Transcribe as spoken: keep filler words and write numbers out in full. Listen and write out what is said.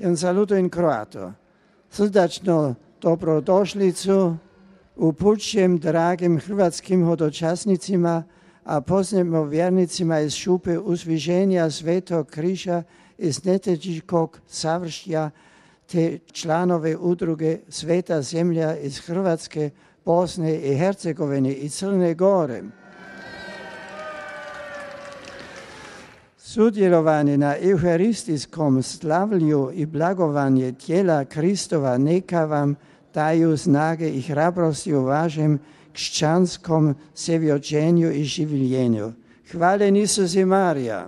un saluto in croato. Srdačno dobrodošlicu upućujem dragim hrvatskim hodočasnicima, a posebno vjernicima iz šupe Uzviženja Svetog križa iz Neteđiškog savršja te članove udruge Sveta zemlja iz Hrvatske, Bosne i Hercegovine i Crne Gore. Sudjelovanje na euharistijskom slavlju i blagovanje tijela Kristova neka vam daju snage i hrabrosti u vašem křesťanskom svjedočenju i življenju. Hvala Isus i Marija.